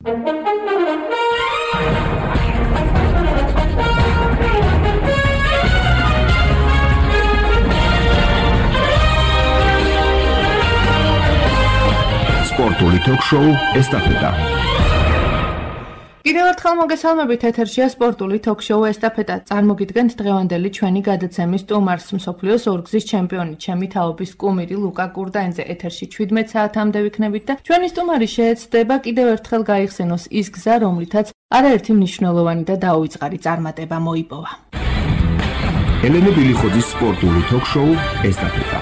სპორტული ток-შოუ ესტაფეტა. კიდევ ერთხელ მოგესალმებით, ეთერშია სპორტული ток-შოუ ესტაფეტა. წარმოგიდგენთ დღევანდელი ჩვენი გადაცემის სტუმარს, მსოფლიოს ორგზის ჩემპიონი, ჩემი თაობის კუმირი ლუკა კურდაინძე. ეთერში 17 საათამდე ვიქნებით და ჩვენი სტუმარი შეეცდება კიდევ ერთხელ გაიხსენოს ის გზა, რომლითაც არაერთი მნიშვნელოვანი და დაუვიწყარი წარმატება მოიპოვა. ელენე ბილიხოძის სპორტული ток-შოუ ესტაფეტა.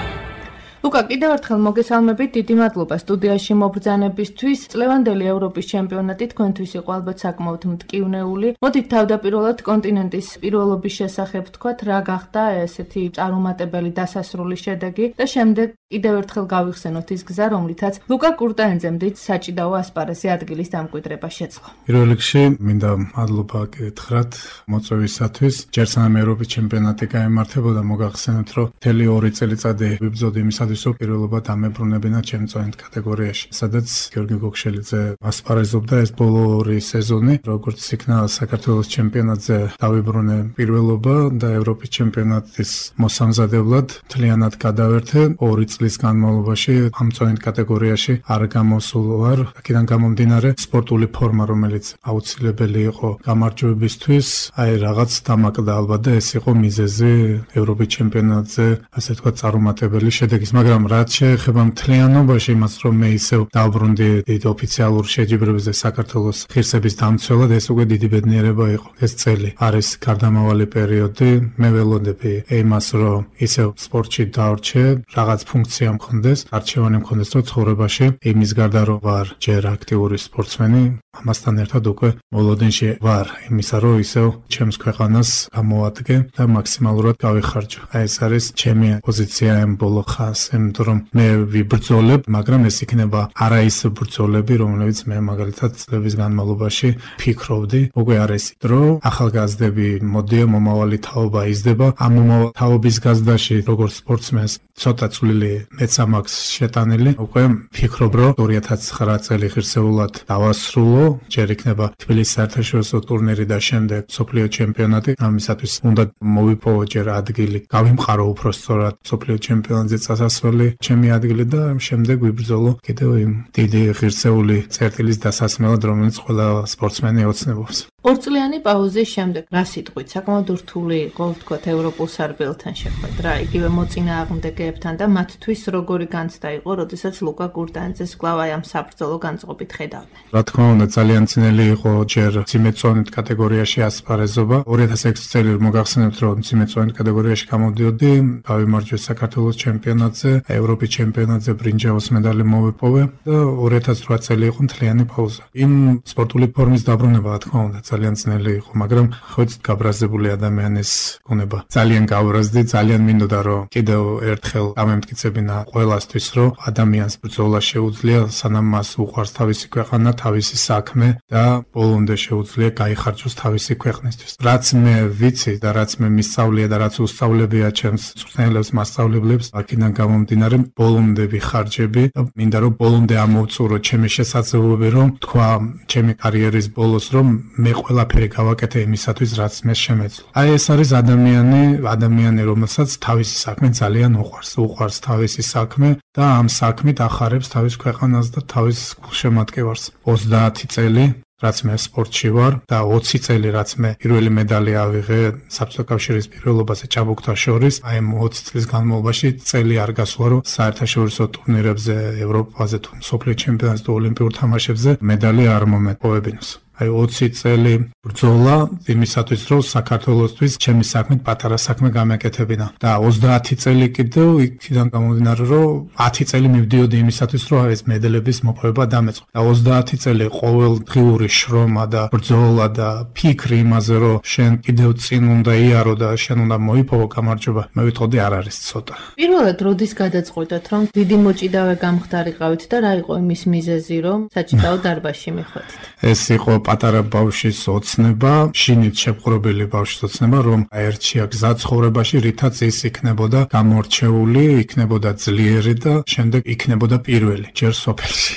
ლუკა, კიდევ ერთხელ მოგესალმებით, დიდი მადლობა სტუდიაში მობრძანებისთვის. წლევანდელი ევროპის ჩემპიონატი თქვენთვის იყო ალბათ საკმაოდ მტკივნეული. მოდით თავდაპირველად კონტინენტის პირველობის შესახებ თქვათ, რა გახდა ესეთი წარუმატებელი დასასრული შედეგი და შემდეგ კიდევ ერთხელ გავიხსენოთ ის გზა, რომლითაც ლუკა კურდაინძემ დიდ საჭიდაო ასპარეზზე ადგილის დამკვიდრება შეძლო. პირველ რიგში მინდა მადლობა გითხრათ მოწვევისათვის. ჯერ სანამ ევროპის ჩემპიონატი გაემართებოდა, მოგახსენოთ, რომ მთელი 2 წელიწადი ვიბრძოდი იმისათვის, რომ პირველობა დამებრუნებინა ჩემპიონატ კატეგორიაში, სადაც გიორგი გოგშელიძე ასპარეზობდა ეს ბოლო 2 სეზონი, როგორც იქნა საქართველოს ჩემპიონატზე დავიბრუნე პირველობა და ევროპის ჩემპიონატის მოსამზადებლად მთლიანად გადავერთე 2 წლის განმავლობაში ამ წონით კატეგორიაში არ გამოსულ ვარ. აქედან გამომდინარე სპორტული ფორმა, რომელიც აუცილებელი იყო გამარჯვებისთვის, რაღაც დამაკდა ალბათ და ეს იყო მიზეზი ევროპის ჩემპიონატზე, ასე თქვა, წარუმატებელი შედეგის. მაგრამ რაც შეეხება მთლიანობაში იმას, რომ მე ისევ დავბრუნდი დიდ ოფიციალურ შეჯიბრებებზე საქართველოს ღირსების დამცველად, ეს უკვე დიდი ბედნიერება იყო. ეს წელი არის გარდამავალი პერიოდი. მე ველოდები იმას, რომ ისევ სპორტში დავრჩე, რაღაც ფუნქცია მქონდეს, არჩევანი მქონდეს, რომ ცხოვრებაში იმის გარდა რომ ვარ ჯერ აქტიური სპორტსმენი, ამასთან ერთად უკვე მოლოდინში ვარ იმისა, რომ ისევ ჩემს ქვეყანას გამოვადგე და მაქსიმალურად გავიხარჯო. ეს არის ჩემი პოზიცია ამ ბოლო ხანს. იმიტომ რომ მე ვიბრძოლებ, მაგრამ ეს იქნება არა ის ბრძოლები, რომლებიც მე მაგალითად წლების განმავლობაში ფიქრობდი. უკვე არის დრო, ახალგაზრდები მოდიან, მომავალი თაობა იზრდება. ამ მომავალ თაობის გაზრდაში როგორც სპორტსმენს ცოტა წვლილი მეც ამაქვს შეტანილი. უკვე ფიქრობ, რომ 2009 წელი ღირსეულად დავასრულო. ჯერ იქნება თბილისის საერთაშორისო ტურნირი და შემდეგ მსოფლიო ჩემპიონატი. ამისათვის უნდა მოვიპოვო ჯერ ადგილი, გავიმყარო უფრო სწორად მსოფლიო ჩემპიონატზე წასასვლელი ჩემი ადგილი და შემდეგ ვიბრძოლო კიდევ იმ დიდი ღირსეული წერტილის დასასმელად, რომელიც ყველა სპორტსმენი ოცნებობს. 2 წლიანი პაუზის შემდეგ რა სიტყვით საკმაოდ რთული იყო ვთქვათ ევროპულ სარბიელთან შეხვედრა, იგივე მოწინააღმდეგეებთან და მათთვის როგორი განცდა იყო, როდესაც ლუკა კურდაინძეს კვლავ ამ საბრძოლო განწყობით ხედავდნენ. რა თქმა უნდა, ძალიან ძნელი იყო ჯერ მძიმე წონით კატეგორიაში ასპარეზობა. 2006 წელი მოგახსენებთ, რომ მძიმე წონით კატეგორიაში გამოდიოდი, გავიმარჯვე საქართველოს ჩემპიონატზე, ევროპის ჩემპიონატზე ბრინჯაოს медаლი მოვიპოვე და 2008 წელი იყო მთლიანი პაუზა. იმ სპორტული ფორმის დაბრუნება, რა თქმა უნდა, ძალიან ძნელი იყო, მაგრამ ხოც გაბრაზებული ადამიანის გონება. ძალიან გავბრაზდი, ძალიან მინდოდა რომ კიდევ ერთხელ გამემტკიცებინა ყველასთვის, რომ ადამიანს ბრძოლა შეუძლია, სანამ მას უყვარს თავისი ქვეყანა, თავისი საქმე და ბოლომდე შეუძლია გაიხარჯოს თავისი ქვეყნისთვის. რაც მე ვიცი და რაც მე მისწავლია და რაც უსწავლებია ჩემს მწვრთნელებს, მასწავლებლებს, აქედან გამომდინარე ბოლომდე ვიხარჯები და მინდა რომ ბოლომდე ამოვწურო ჩემი შესაძლებლობები, რომ თქვა ჩემი კარიერის ბოლოს, რომ მე ყველაფერი გავაკეთე იმისათვის, რაც მე შემეძლო. აი ეს არის ადამიანი, რომელსაც თავისი საქმე ძალიან უყვარს თავისი საქმე და ამ საქმით ახარებს თავის ქვეყანას და თავის გულშემატკივარს. 30 წელი რაც მე სპორტში ვარ და 20 წელი რაც მე პირველი медаლი ავიღე საბჭოთა კავშირის პირველობაზე ჭაბუკთა შორის, აი 20 წლის განმავლობაში წელი არ გასულა, რომ საერთაშორისო ტურნირებზე, ევროპაზე თუ მსოფლიო ჩემპიონატზე თუ ოლიმპიურ თამაშებზე медаლი არ მომეპოვებინოს. აი 20 წელი ბრძოლა იმისათვის, რომ საქართველოსთვის ჩემი საქმე პატარა საქმე გამეკეთებინა და 30 წელი კიდევ იქიდან გამომდინარე, რომ 10 წელი მივდიოდი იმისათვის, რომ ეს медаლების მოპოვება დამეწყო. და 30 წელი ყოველდღიური შრომა და ბრძოლა და ფიქრი იმაზე, რომ შენ კიდევ წინ უნდა იარო და შენ უნდა მოიპოვო გამარჯვება, მე ვიტყოდი არ არის ცოტა. პირველად როდის გადაწყვიტეთ, რომ დიდი მოჭიდავე გამხდარიყავით და რა იყო იმის მიზეზი, რომ საჭიდაო დარბაზში მიხვედით? ეს იყო პატარა ბავშვის ოცნება, შინით შეპყრობილი ბავშვის ოცნება, რომ აერჩია გზა ცხოვრებაში, რითაც ის იქნებოდა გამორჩეული, იქნებოდა ძლიერი და შემდეგ იქნებოდა პირველი ჯერ სოფელში.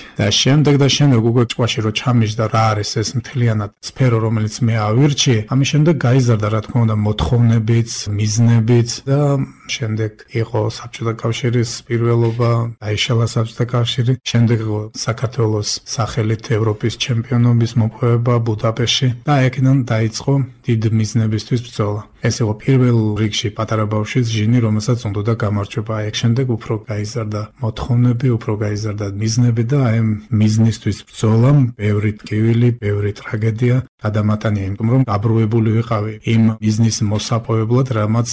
და შემდეგ უკვე ჭკვაში რო ჩამიჯდა რა არის ეს მთლიანად სფერო, რომელიც მე ავირჩიე, ამის შემდეგ გაიზარდა რა თქმა უნდა მოთხოვნებიც, მიზნებიც და შემდეგ იყო საბჭოთა კავშირის პირველობა, დაიშალა საბჭოთა კავშირი, შემდეგ იყო საქართველოს სახელით ევროპის ჩემპიონობის მოპოვება ბუდაპეშტში და აქედან დაიწყო დიდ მიზნებისთვის ბრძოლა. ეს იყო პირველ რიგში პატარა ბავშვის ჟინი, რომელსაც უნდოდა გამარჯვება. აქ შემდეგ უფრო გაიზარდა მოთხოვნები, უფრო გაიზარდა მიზნები და აი მიზნისთვის ბრძოლამ ბევრი ტკივილი, ბევრი ტრაგედია გადამატანია, იმიტომ რომ გაბრუებული ვიყავი იმ მიზნის მოსაპოვებლად, რამაც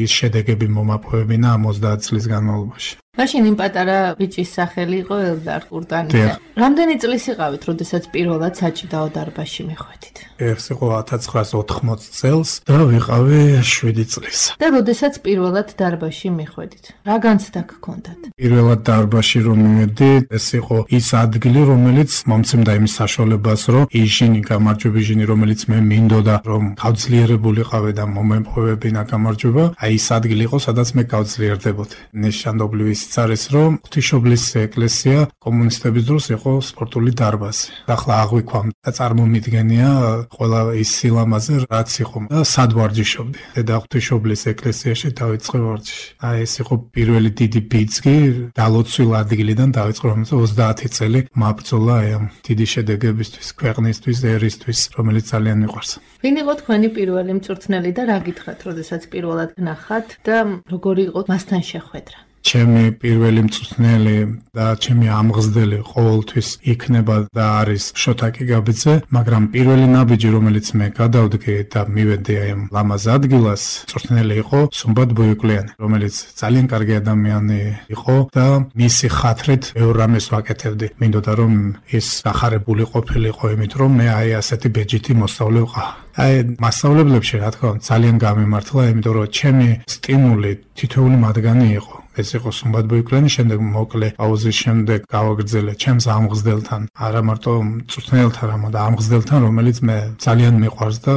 ის შედეგები მომაპოვებინა 50 წლის განმავლობაში. მაშინ იმ პატარა ბიჭის სახელი იყო ელდარ ყურტანიძე. რამდენი წლის იყავით, როდესაც პირველად საჭიდაო დარბაზში მიხვედით? ეს იყო 1980 წელს და ვიყავი 7 წლის. და როდესაც პირველად დარბაზში მიხვედით, რა განცდა გქონდათ? პირველად დარბაზში რომ მივედი, ეს იყო ის ადგილი, რომელიც მომცემდა იმის საშუალებას, რომ ის ჟინი, გამარჯვების ჟინი, რომელიც მე მინდოდა, რომ გავძლიერებულიყავი და მომეპოვებინა გამარჯვება, აი ის ადგილი იყო, სადაც მე გავძლიერდებოდი. ნიშანდობლივი ის არის, რომ ღვთისმშობლის ეკლესია კომუნისტების დროს იყო სპორტული დარბაზი. ახლა აღვიქვამ და წარმომიდგენია ყველა ის სილამაზე, რაც იყო და სად ვარჯიშობდი. და ღვთისმშობლის ეკლესიაში დავიწყე ვარჯიში. აი ეს იყო პირველი დიდი ბიძგი, დალოცვილ ადგილიდან დავიწყე, რომელიც 30 წელი მაბრძოლა აი ამ დიდი შედეგებისთვის, ქვეყნისთვის, ერისთვის, რომელიც ძალიან მიყვარს. ვინ იყო თქვენი პირველი მწვრთნელი და რა გითხრათ, როდესაც პირველად ნახათ და როგორი იყო მასთან შეხვედრა? ჩემი პირველი მწვრთნელი და ჩემი ამღზდელი ყოველთვის იქნება და არის შოთა კიგაბიძე, მაგრამ პირველი ნაბიჯი, რომელიც მე გადავდგე და მივედი აი ამ ლამაზ ადგილას, მწვრთნელი იყო სუმბად ბოიკლიანი, რომელიც ძალიან კარგი ადამიანი იყო და მისი ხათრით ბევრ რამეს ვაკეთებდი. მინდოდა რომ ის გახარებული ყოფილიყო, იმიტომ რომ მე აი ასეთი ბეჯითი მოსწავლე ვყავ. აი მასწავლებლებში რა თქმა უნდა ძალიან გამემართლა, იმიტომ რომ ჩემი სტიმული თითოეული მათგანი იყო. ეს იყო სუმბად ბოიკლიანი, შემდეგ მოკლე პაუზის შემდეგ გავაგრძელე ჩემს ამღზდელთან, არა მარტო მწვრთნელთან, არამედ ამღზდელთან, რომელიც მე ძალიან მიყვარს და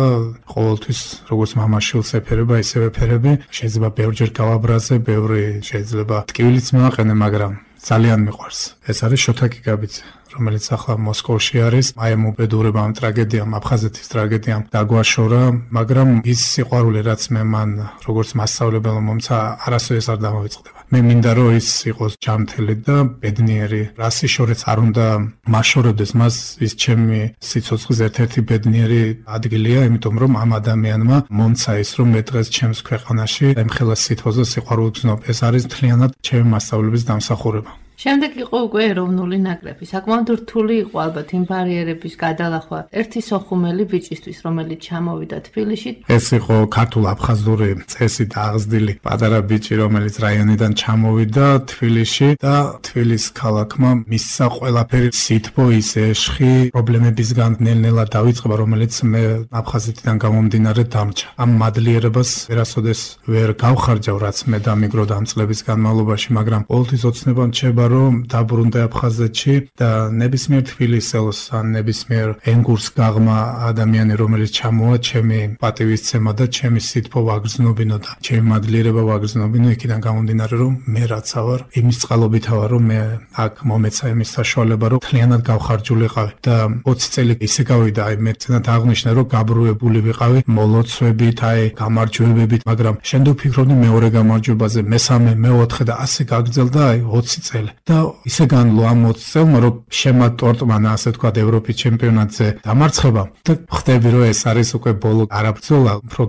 ყოველთვის როგორც მამაშვილს ეფერება, ისევე ეფერები. შეიძლება ბევრჯერ გავაბრაზე, ბევრი შეიძლება ტკივილიც მივაყენე, მაგრამ ძალიან მიყვარს. ეს არის შოთა კიგაბიძე, რომელიც ახლა მოსკოვში არის. აი ამ უბედურებამ, ტრაგედიამ, აფხაზეთის ტრაგედიამ დაგვაშორა, მაგრამ ის სიყვარული, რაც მე მან როგორც მასწავლებელმა მომცა, არასოდეს არ დამოვიწყდება. მე მინდა რომ ის იყოს ჯანმრთელი და ბედნიერი. რასი შორეც არ უნდა მაშორებდეს მას, ის ჩემი სიცოცხლის ერთ-ერთი ბედნიერი ადგილია, იმიტომ რომ ამ ადამიანმა მომცა ის, რომ მე დღეს ჩემს ქვეყანაში ემხელა სითბოს და სიყვარულს ვგზნობ. ეს არის მთლიანად ჩემი მასწავლებლების დამსახურება. შემდეგ იყო უკვე ეროვნული ნაკრები. საკმაოდ რთული იყო ალბათ იმ ბარიერების გადალახვა ერთი სოხუმელი ბიჭისთვის, რომელიც ჩამოვიდა თბილისში. ეს იყო ქართულ-აფხაზური წესით აღზრდილი პატარა ბიჭი, რომელიც რაიონიდან ჩამოვიდა თბილისში და თბილის ქალაქმა მისცა ყველაფერი სითბო, ის ეშხი, პრობლემებისგან ნელ-ნელა დაიწყება, რომელიც მე აფხაზეთიდან გამომდინარე დამჭა. ამ მადლიერებას ვერასოდეს ვერ გავხარჯავ, რაც მე დამიგროდა ამ წლების განმავლობაში, მაგრამ ყოველთვის ოცნება რჩება რომ დაბრუნდა აფხაზეთში და ნებისმიერ თბილისელს ან ნებისმიერ ენგურს გაღმა ადამიანი, რომელიც ჩამოვა, ჩემი პატივისცემა და ჩემი სითბო ვაგრძნობინო და ჩემი მადლიერება ვაგრძნობინო, იქიდან გამომდინარე, რომ მე რაცა ვარ, იმის წყალობით ვარ, რომ მე აქ მომეცა იმის საშუალება, რომ მთლიანად გავხარჯულიყავი და 20 წელი ისე გავიდა, აი მე წინათ აღნიშნე, რომ გაბრუებული ვიყავი მოლოცვებით, აი გამარჯვებებით, მაგრამ შემდეგ ვფიქრობდი მეორე გამარჯვებაზე, მესამე, მეოთხე და ასე გაგრძელდა აი 20 წელი. და ისე განვლო ამ 20 წელმა, რომ შემატორტმანა, ასე თქვა, ევროპის ჩემპიონატზე დამარცხება და ხვდები, რომ ეს არის უკვე ბოლო არაბრძოლა, უფრო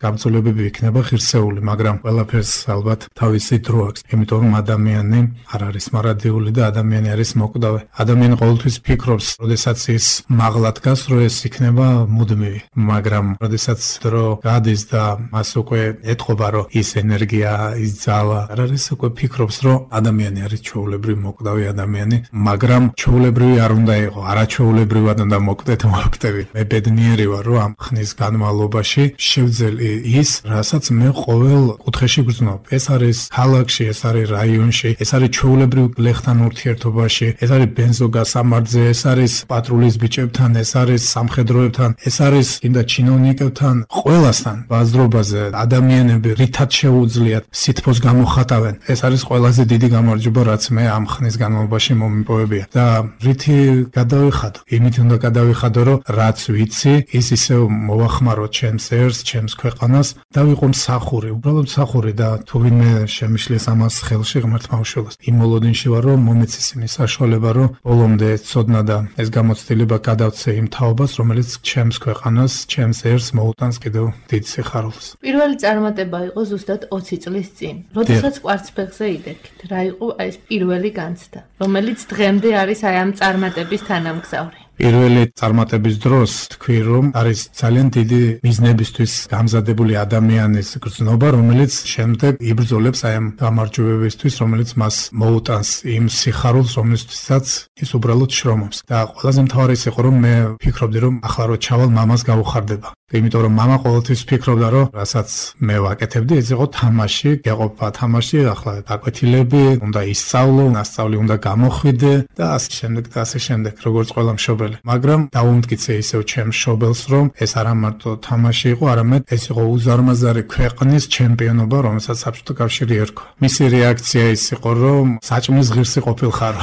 გაბრძოლებები იქნება ღირსეული, მაგრამ ყველაფერს ალბათ თავისი დრო აქვს, იმიტომ რომ ადამიანი არ არის მარადიული და ადამიანი არის მოკვდავი. ადამიანი ყოველთვის ფიქრობს, როდესაც ის მაღლა დგას, რომ ეს იქნება მუდმივი, მაგრამ როდესაც დრო გადის და მას უკვე ეთყობა, რომ ის ენერგია, ის ძალა არ არის, უკვე ფიქრობს, რომ ადამიანი ადამიანი არის ჩვეულებრივ მოკვდავი ადამიანი, მაგრამ ჩვეულებრივი არ უნდა იყო, არაჩვეულებრივად უნდა მოკვდეთ მოკვდები. მე ბედნიერი ვარ, რომ ამ ხნის განმავლობაში შევძელი ის, რასაც მე ყოველ კუთხეში გრძნობ. ეს არის ქალაქში, ეს არის რაიონში, ეს არის ჩვეულებრივ გლეხთან ურთიერთობაში, ეს არის ბენზოგასამართზე, ეს არის პატრულის ბიჭებთან, ეს არის სამხედროებთან, ეს არის კიდე ჩინოვნიკებთან, ყველასთან ბაზრობაზე ადამიანები რითაც შეუძლიათ სითბოს გამოხატავენ. ეს არის ყველაზე დიდი გამარჯვება, რაც მე ამ ხნის განმავლობაში მომიპოვებია და რითი გადავიხადო? იმით უნდა გადავიხადო, რომ რაც ვიცი, ის ისევ მოვახმაროთ ჩემს ერს, ჩემს ქვეყანას და ვიყო მსახური, უბრალოდ მსახური და თუ ვინმე შემიშლის ამას ხელში ღმერთმა უშველოს. იმ მოლოდინში ვარ, რომ მომეცეს იმის საშუალება, რომ ბოლომდე ეს ცოდნა და ეს გამოცდილება გადავცე იმ თაობას, რომელიც ჩემს ქვეყანას, ჩემს ერს მოუტანს კიდევ დიდ სიხარულს. პირველი წარმატება იყო ზუსტად 20 წლის წინ. როდესაც კვარცხლბეკზე იდექით, რა იყო ეს პირველი განცდა, რომელიც დღემდე არის აი ამ წარმატების თანამგზავრი? პირველი წარმატების დროს თქვი, რომ არის ძალიან დიდი მიზნებისთვის გამზადებული ადამიანის გრძნობა, რომელიც შემდეგ იბრძოლებს აი ამ გამარჯვებებისთვის, რომელიც მას მოუტანს იმ სიხარულს, რომელიცაც ის უბრალოდ შრომობს. და ყველაზე მთავარი ის იყო, რომ მე ფიქრობდი, რომ ახლა რო ჩავალ, მამას გაუხარდება. იმიტომ რომ მამა ყოველთვის ფიქრობდა, რომ რასაც მე ვაკეთებდი, ეს იყო თამაში, გეყოფა თამაში, ახლა დაკვეთილები, უნდა ისწავლო, ნასწავლი უნდა გამოხვიდე და ასე შემდეგ და ასე შემდეგ, როგორც ყველა მშობელი. მაგრამ დაუმტკიცე ისევ ჩემს მშობელს, რომ ეს არა მარტო თამაში იყო, არამედ ეს იყო უზარმაზარი ქვეყნის ჩემპიონობა, რომელსაც საბჭოთა კავშირი ერქვა. მისი რეაქცია ის იყო, რომ საჭმლის ღირსი ყოფილხარო.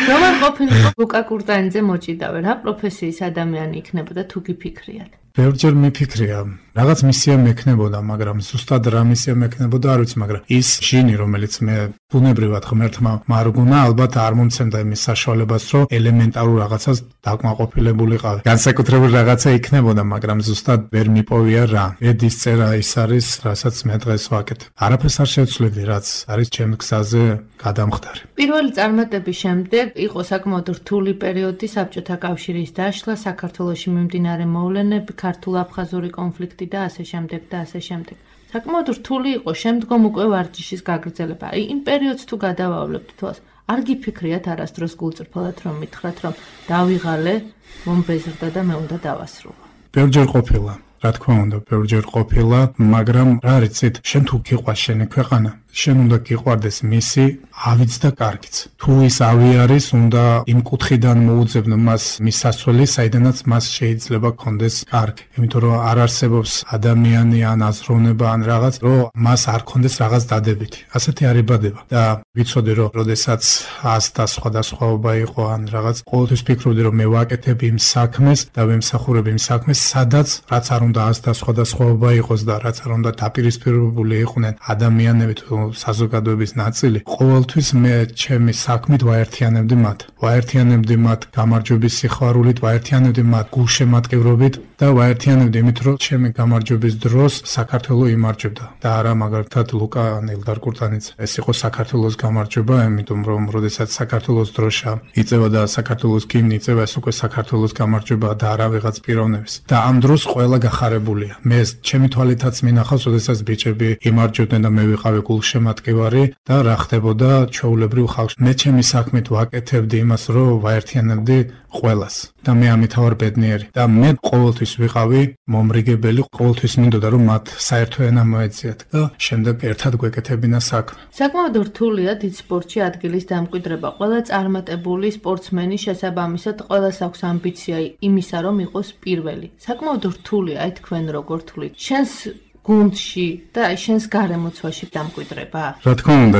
რომან ყოფილიყო ლუკა კურტანიძე მოჭიდავე, რა პროფესიის ადამიანი იქნებოდა თუ გიფიქრიათ? ბევრჯერ მიფიქრია, რაღაც მისია მექნებოდა, მაგრამ ზუსტად რა მისია მექნებოდა არ ვიცი, მაგრამ ის ჟინი, რომელიც მე ბუნებრივად ღმერთმა მარგუნა, ალბათ არ მომცემდა იმის საშუალებას, რომ ელემენტარულ რაღაცას დაკმაყოფილებულიყავი. განსაკუთრებული რაღაცა იქნებოდა, მაგრამ ზუსტად ვერ მიპოვია რა. ედის წერა ის არის, რასაც მე დღეს ვაკეთებ. არაფერს არ შევცვლები, რაც არის ჩემს გზაზე გადამხდარი. პირველი წარმატების შემდეგ იყო საკმაოდ რთული პერიოდი, საბჭოთა კავშირის დაშლა, საქართველოში მიმდინარე მოვლენები, ქართულ-აფხაზური კონფლიქტი და ასე შემდეგ და ასე შემდეგ. საკმაოდ რთული იყო შემდგომ უკვე ვარჯიშის გაგრძელება. იმ პერიოდს თუ გადავავლებთ თვალს, არ გიფიქრიათ არასდროს გულწრფელად რომ მითხრათ, რომ დავიღალე, მომბეზრდა და მე უნდა დავასრულო. ბევრჯერ ყოფილა, რა თქმა უნდა, ბევრჯერ ყოფილა, მაგრამ რა რიცით, შენ თუ გიყვარს შენი ქვეყანა, შენ უნდა გიყვარდეს მისი ავიც და კარგიც. თუ ის ავი არის, უნდა იმ კუთხიდან მოუძებნო მას მის სასვლელი, საიდანაც მას შეიძლება კონდეს კარგი. იმიტომ რომ არ არსებობს ადამიანი ან აზროვნება ან რაღაც, რომ მას არ კონდეს რაღაც დადებითი. ასეთი არ იბადება და ვიცოდი რომ როდესაც 100 და სხვადასხვაობა იყო ან რაღაც, ყოველთვის ფიქრობდი რომ მე ვაკეთებ იმ საქმეს და ვემსახურებ იმ საქმეს, სადაც რაც არ უნდა 100 და სხვადასხვაობა იყოს და რაც არ უნდა დაპირისპირებული იყვნენ ადამიანები თუ საზოგადოების ნაწილი, ყოველთვის მე ჩემი საქმით ვაერთიანებდი მათ. ვაერთიანებდი მათ გამარჯვების სიხარულით, ვაერთიანებდი მათ გულშემატკივრობით და ვაერთიანებდი იმით, რომ ჩემი გამარჯვების დროს საქართველო იმარჯვებდა. და არა მაგალითად ლუკა ნილდარ კურტანიძე. ეს იყო საქართველოს გამარჯვება, იმიტომ რომ როდესაც საქართველოს დროშა იწევა და საქართველოს გიმნი იწევა, ეს უკვე საქართველოს გამარჯვება და არა ვიღაც პიროვნების. და ამ დროს ყველა გახარებულია. მე ჩემი თვალითაც მინახავს, როდესაც ბიჭები იმარჯვებდნენ და მე ვიყავი გულშემატკივარი და რა ხდებოდა ჩვეულებრივ ხალხში. მე ჩემი საქმით ვაკეთებდი იმას, რომ ვაერთიანებდი ყველას და მე ამით ვარ ბედნიერი და მე ყოველთვის ვიყავი მომრიგებელი, ყოველთვის მინდოდა რომ მათ საერთო ენა მოეწიათ და შემდეგ ერთად გვეკეთებინა საქმე. საკმაოდ რთულია დიდ სპორტში ადგილის დამკვიდრება. ყველა წარმატებული სპორტსმენი შესაბამისად ყველას აქვს ამბიცია იმისა, რომ იყოს პირველი. საკმაოდ რთულია, აი თქვენ როგორ თვლით? შენს გუნდში და შენს გარემოცვაში დამკვიდრება? რა თქმა უნდა,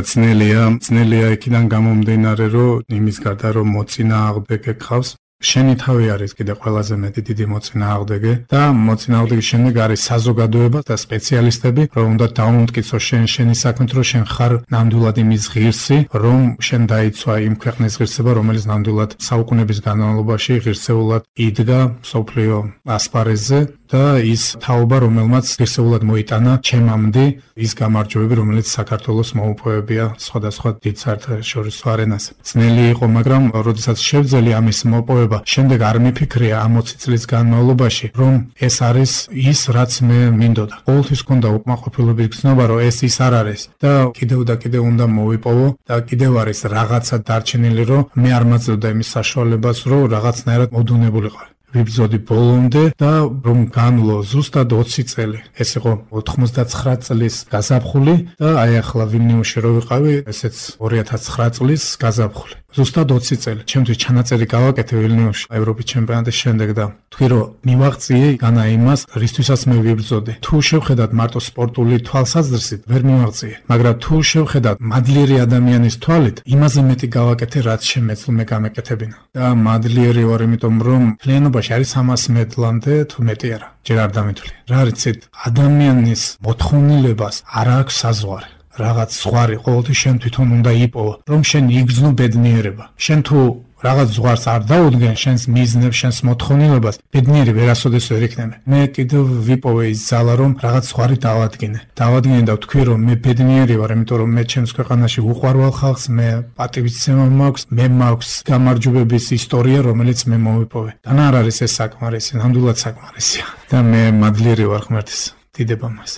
ძნელია იქიდან გამომდინარე, რომ იმის გარდა რომ მოწინააღმდეგე გყავს, შენი თავი არის კიდე ყველაზე მეტი დიდი მოწინააღმდეგე და მოწინააღმდეგის შემდეგ არის საზოგადოება და სპეციალისტები, რომ უნდა დაუმტკიცო შენი საქმით, რომ შენ ხარ ნამდვილად იმის ღირსი, რომ შენ დაიცვა იმ ქვეყნის ღირსება, რომელიც ნამდვილად საუკუნეების განმავლობაში ღირსეულად იდგა მსოფლიო ასპარეზზე და ის თაობა, რომელმაც ღირსეულად მოიტანა ჩემამდე ის გამარჯვებები, რომელიც საქართველოს მოუპოვებია სხვადასხვა დიდ საერთაშორისო არენაზე. ძნელი იყო, მაგრამ როდესაც შევძელი ამის მოპოვება, შემდეგ არ მიფიქრია ამ 20 წლის განმავლობაში, რომ ეს არის ის, რაც მე მინდოდა. ყოველთვის ჰქონდა უკმაყოფილების გზნობა, რომ ეს ის არ არის და კიდევ და კიდევ უნდა მოვიპოვო და კიდევ არის რაღაცა დარჩენილი, რომ მე არ მაძლევდა იმის საშუალებას, რომ რაღაცნაირად მოდუნებულიყო. ვიბრძოდი ბოლომდე და რომ განვლო ზუსტად 20 წელი. ეს იყო 99 წლის გაზაფხული და აი ახლა ვილნიუსში რო ვიყავი, ესეც 2009 წლის გაზაფხული. ზუსტად 20 წელი. ჩემთვის ჩანაწერი გავაკეთე ვილნიუსში ევროპის ჩემპიონატის შემდეგ და თქვი რომ მივაღწიე განა იმას, რისთვისაც მე ვიბრძოდი. თუ შევხედათ მარტო სპორტული თვალსაზრისით, ვერ მივაღწიე, მაგრამ თუ შევხედათ მადლიერი ადამიანის თვალით, იმაზე მეტი გავაკეთე, რაც შემეძლო მე გამეკეთებინა. და მადლიერი ვარ, იმიტომ რომ ფლიანობაში არის 300 მედლამდე თუ მეტი არა. ჯერ არ დამეთვლი. რა რიცით, ადამიანის მოთხოვნილებას არ აქვს საზღვარი. რაღაც ზღვარი ყოველთვის შენ თვითონ უნდა იპოვო, რომ შენ იგრძნო ბედნიერება. შენ თუ რაღაც ზღვარს არ დაუდგენ შენს მიზნებს, შენს მოთხოვნილებას, ბედნიერი ვერასოდეს ვერ იქნები. მე კიდევ ვიპოვე ის ძალა, რომ რაღაც ზღვარი დავადგინე. დავადგინე და ვთქვი, რომ მე ბედნიერი ვარ, იმიტომ რომ მე ჩემს ქვეყანაში უყვარვალ ხალხს, მე პატივისცემა მაქვს, მე მაქვს გამარჯვებების ისტორია, რომელიც მე მოვიპოვე. და არ არის ეს საკმარისი, ნამდვილად საკმარისია. და მე მადლიერი ვარ ღმერთის დიდებამას.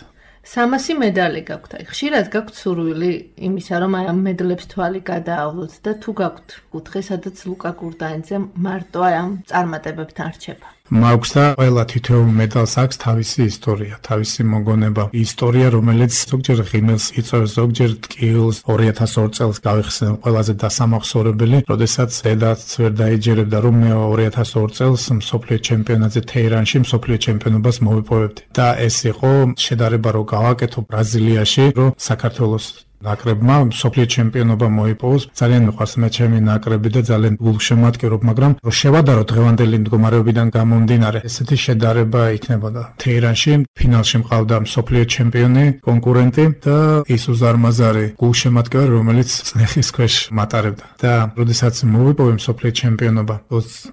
300 მედალი გაქვთ. აი, ხშირად გაქვთ სურვილი იმისა, რომ აი ამ მედლებს თვალი გადაავლოთ და თუ გაქვთ კუთხე, სადაც ლუკა გურდანიძე მარტო აი ამ წარმატებებთან რჩება. მაქვს და ყველა თითოეულ მედალს აქვს თავისი ისტორია, თავისი მოგონება. ისტორია, რომელიც ზოგჯერ ღიმილს იწვევს, ზოგჯერ ტკივილს. 2002 წელს გავიხსენე ყველაზე დასამახსოვრებელი, როდესაც დედაც ვერ დაიჯერებდა, რომ მე 2002 წელს მსოფლიო ჩემპიონატზე თეირანში მსოფლიო ჩემპიონობას მოვიპოვებდი. და ეს იყო შედარება, რომ გავაკეთო ბრაზილიაში, რომ საქართველოს ნაკრებმა მსოფლიო ჩემპიონობა მოიპოვოს. ძალიან მიყვარს მე ჩემი ნაკრები და ძალიან გულშემატკივრობ, მაგრამ რომ შევადარო დღევანდელი მდგომარეობიდან გამომდინარე, ესეთი შედარება იქნებოდა. თეირანში ფინალში მყავდა მსოფლიო ჩემპიონი, კონკურენტი და ისუს არმაზარი, გულშემატკივარი, რომელიც წნეხის ქვეშ მატარებდა. და როდესაც მოვიპოვე მსოფლიო ჩემპიონობა,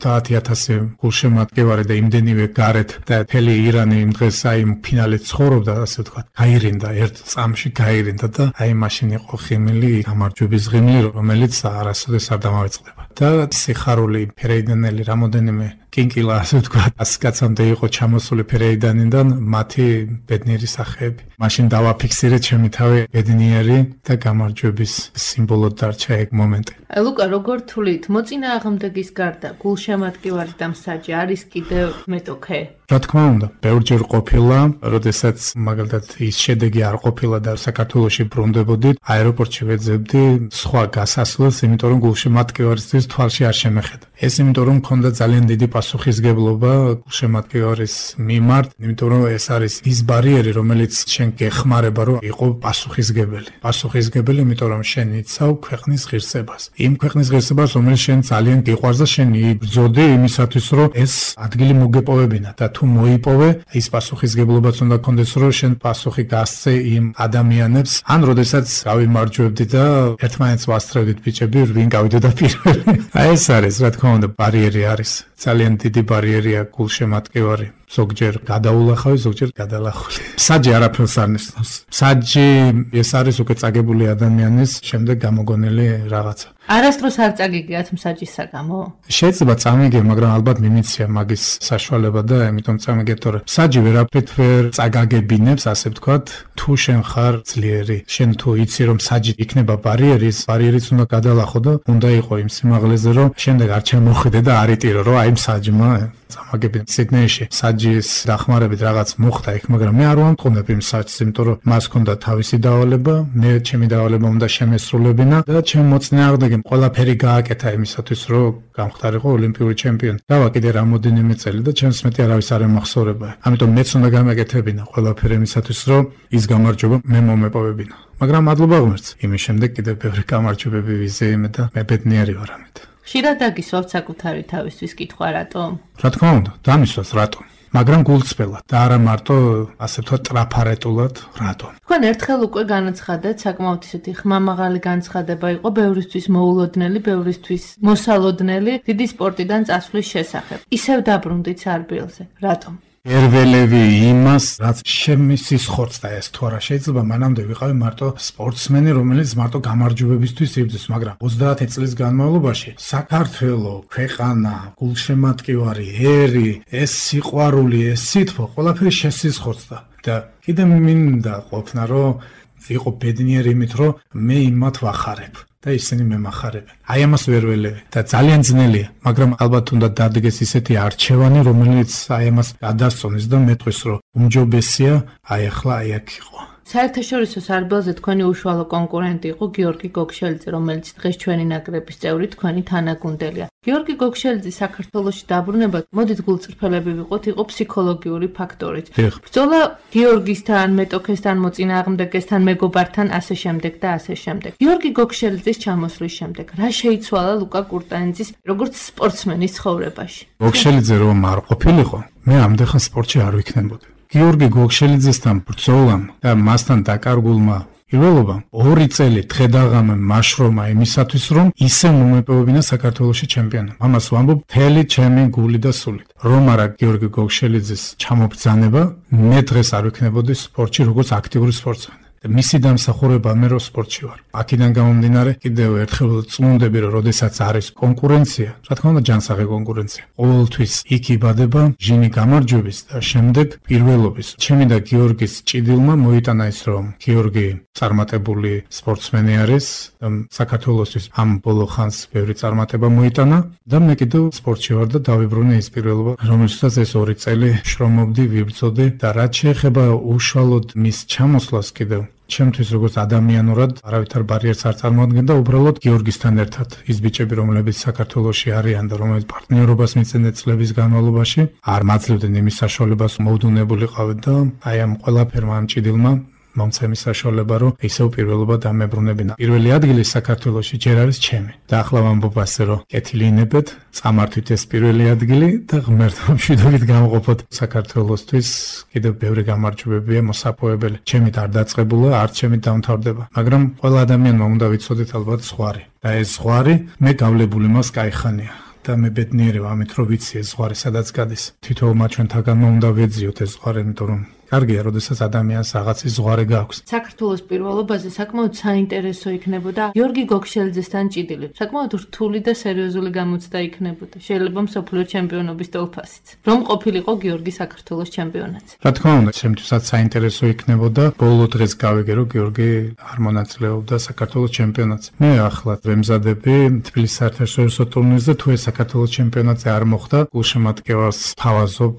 30,000 გულშემატკივარი და იმდენივე გარეთ და მთელი ირანი იმ დღეს აი ფინალით ცხოვრობდა, ასე ვთქვათ, გაირინდა ერთ წამში გაირინდა და აი იყო ღიმილი, გამარჯვების ღიმილი, რომელიც არასოდეს არ დამავიწყდება. და სიხარული ფერეიდანელი რამოდენიმე კინკილა, ასე ვთქვათ, 100 კაცამდე იყო ჩამოსული ფერეიდანიდან მათი ბედნიერი სახეები. მაშინ დავაფიქსირე ჩემი თავი ბედნიერი და გამარჯვების სიმბოლოდ დარჩა ეგ მომენტი. აი ლუკა, როგორ თვლით, მოწინააღმდეგის გარდა გულშემატკივარი და მსაჯი არის კიდევ მეტოქე? რა თქმა უნდა, ბევრჯერ ყოფილა, როდესაც მაგალითად ის შედეგი არ ყოფილა და საქართველოში ბრუნდებოდით, აეროპორტში ვეძებდი სხვა გასასვლელს, იმიტომ რომ გულშემატკივარისთვის თვალში არ შემეხედა. ეს იმიტომ რომ მქონდა ძალიან დიდი პასუხისგებლობა გულშემატკივარის მიმართ, იმიტომ რომ ეს არის ის ბარიერი, რომელიც შენ გეხმარება, რომ იყო პასუხისგებელი. პასუხისგებელი, იმიტომ რომ შენ იცავ ქვეყნის ღირსებას. იმ ქვეყნის ღირსებას, რომელიც შენ ძალიან გიყვარს და შენ იბრძოდი იმისათვის, რომ ეს ადგილი მოგეპოვებინა და თუ მოიპოვე, ის პასუხისგებლობაც უნდა გქონდეს, რომ შენ პასუხი გასცე იმ ადამიანებს, ან როდესაც გავიმარჯვებდი და ერთმანეთს ვასწრებდით ბიჭები, ვინ გავიდოდა პირველი. აი ეს არის, რა თქმა უნდა, ბარიერი არის. ძალიან დიდი ბარიერია გულშემატკივარი. ზოგჯერ გადაულახავი, ზოგჯერ გადალახული. საჯი არაფერს არ ნიშნავს. საჯი ეს არის უკვე წაგებული ადამიანის შემდეგ გამოგონილი რაღაცა. არასდროს არ წაგიგიათ მსაჯის საგამო? შეიძლება წამიგე, მაგრამ ალბათ მიმიცია მაგის საშუალება და ამიტომ წამიგე, თორე საჯი ვერაფრით ვერ წაგაგებინებს, ასე ვთქვათ, თუ შენ ხარ ძლიერი. შენ თუ იცი რომ საჯი იქნება ბარიერიც უნდა გადალახო და უნდა იყო იმ სიმაღლეზე, რომ შემდეგ არ ჩამოხვიდე და არ იტირო, რომ აი საჯმა წამაგებინ. სიდნეიში საჯის დახმარებით რაღაც მოხდა იქ, მაგრამ მე არ ვამტყუნებ იმ საჯს, იმიტომ რომ მას ჰქონდა თავისი დავალება, მე ჩემი დავალება უნდა შემესრულებინა და ჩემ მოწინააღმდეგემ ყველაფერი გააკეთა იმისათვის, რომ გამختارიყო ოლიმპიური ჩემპიონი. დავა კიდე რამოდენიმე წელი და ჩემს მეტი არავის არ ემახსოვრება. ამიტომ მეც უნდა გამეკეთებინა ყველაფერი იმისათვის, რომ ის გამარჯვება მე მომეპოვებინა. მაგრამ მადლობა ღმერთს. იმის შემდეგ კიდე ბევრი გამარჯვებები ვიზეიმე და მე ბედნიერი ვარ ამით. ხშირად დაგისვავთ საკუთარი თავისთვის კითხვა, რატომ? რა თქმა უნდა, დამისვას რატომ? მაგრამ გულწრფელად და არა მარტო ასე ვთქვათ ტრაფარეტულად, რატომ? თქვენ ერთხელ უკვე განაცხადეთ, საკმაოდ ისეთი ხმამაღალი განცხადება იყო ბევრისთვის მოულოდნელი, ბევრისთვის მოსალოდნელი დიდი სპორტიდან წასვლის შესახებ. ისევ დაბრუნდით სარბიელზე. რატომ? ერველევი იმას, რაც შემისის ხორცდა ეს თუ არა შეიძლება მანამდე ვიყავი მარტო სპორტსმენი, რომელიც მარტო გამარჯვებებისთვის იბრძვის, მაგრამ 30 წლის განმავლობაში საქართველო, ქვეყანა, გულშემატკივარი, ერი, ეს სიყვარული, ეს სითბო, ყველაფერი შესიზღორდა და კიდე მინდა ყოფნა, რომ ვიყო ბედნიერი იმით, რომ მე იმათ ვახარებ. და ისინი მემახარებენ. აი ამას ვერ ველევი და ძალიან ძნელია, მაგრამ ალბათ უნდა დადგეს ისეთი არჩევანი, რომელიც აი ამას გადასწონს და მეტყვის, რომ უმჯობესია აი ახლა აი აქ იყო. საერთაშორისო სარბელზე თქვენი უშუალო კონკურენტი იყო გიორგი გოგშელიძე, რომელიც დღეს ჩვენი ნაკრების წევრი, თქვენი თანაგუნდელია. გიორგი გოგშელიძის საქართველოში დაბრუნება, მოდით გულწრფელები ვიყოთ, იყო ფსიქოლოგიური ფაქტორით. ბრძოლა გიორგისთან, მეტოქესთან, მოწინააღმდეგესთან, მეგობართან, ასე შემდეგ და ასე შემდეგ. გიორგი გოგშელიძის ჩამოსვლის შემდეგ, რა შეიცვალა ლუკა კურტანიძის როგორც სპორტსმენის ცხოვრებაში? გოგშელიძე რომ არ ყოფილიყო, მე ამდენ სპორტში არ ვიქნებოდი. გიორგი გოგშელიძესთან ბრძოლამ და მასთან დაკარგულმა პირველობამ 2 წელი დღედაღამე მაშრომა იმისათვის, რომ ისე მომეპოვებინა საქართველოში ჩემპიონი. ამას ვამბობ მთელი ჩემი გული და სულით. რომ არა გიორგი გოგშელიძის ჩამობრძანება, მე დღეს არ ვიქნებოდი სპორტში როგორც აქტიური სპორტსმენი. მისი დამსახურება მე რო სპორტში ვარ. აქედან გამომდინარე კიდევ ერთხელ წმუნდები, რომ როდესაც არის კონკურენცია, რა თქმა უნდა ჯანსაღი კონკურენცია. ყოველთვის იქ იბადება ჟინი გამარჯვების და შემდეგ პირველობის. ჩემი და გიორგის ჭიდილმა მოიტანა ის, რომ გიორგი წარმატებული სპორტსმენი არის და საქართველოსთვის ამ ბოლო ხანს ბევრი წარმატება მოიტანა და მე კიდევ სპორტში ვარ და დავიბრუნე ის პირველობა, რომელსაც ეს 2 წელი შრომობდი, ვიბრძოდი და რაც შეეხება უშუალოდ მის ჩამოსვლას კიდევ ჩემთვის როგორც ადამიანურად არავითარ ბარიერს არ წარმოადგენდა, უბრალოდ გიორგისთან ერთად ის ბიჭები, რომლებიც საქართველოში არიან და რომლებიც პარტნიორობას მისცემდნენ წლების განმავლობაში, არ მაძლევდნენ იმის საშუალებას, მოუდუნებულიყავით და აი ამ ყველაფერმა ამ ჭიდილმა მომცემის საშუალება, რომ ისევ პირველობა დამებრუნებინა. პირველი ადგილი საქართველოში ჯერ არის ჩემი. და ახლა ვამბობ ასე, რომ კეთილინებეთ, წამართვით ეს პირველი ადგილი და ღმერთმა მშვიდობით გამყოფოთ საქართველოსთვის. კიდევ ბევრი გამარჯვებებია მოსაპოვებელი. ჩემით არ დაწყებულა, არც ჩემით დამთავრდება. მაგრამ ყველა ადამიანმა უნდა ვიცოდეთ ალბათ ზღვარი. და ეს ზღვარი მე გავლებული მას კაიხანია. და მე ბედნიერი ვარ ამით, რომ ვიცი ეს ზღვარი სადაც გადის. თითოეულმა ჩვენთაგანმა უნდა ვეძიოთ ეს ზღვარი, იმიტომ რომ კარგია, როდესაც ადამიანს რაღაცის ზღვარი გააქვს. საქართველოს პირველობაზე საკმაოდ საინტერესო იქნებოდა გიორგი გოგშელიძესთან ჭიდილი. საკმაოდ რთული და სერიოზული გამოცდა იქნებოდა. შეიძლება მსოფლიო ჩემპიონობის თოლფასიც. რომ ყოფილიყო გიორგი საქართველოს ჩემპიონატზე. რა თქმა უნდა, ჩემთვისაც საინტერესო იქნებოდა. ბოლო დღეს გავიგე, რომ გიორგი არ მონაწილეობდა საქართველოს ჩემპიონატზე. მე ახლა ვემზადები თბილისის საერთაშორისო ტურნირზე, თუ ეს საქართველოს ჩემპიონატზე არ მოხდა, გულშემატკივარს თავაზობ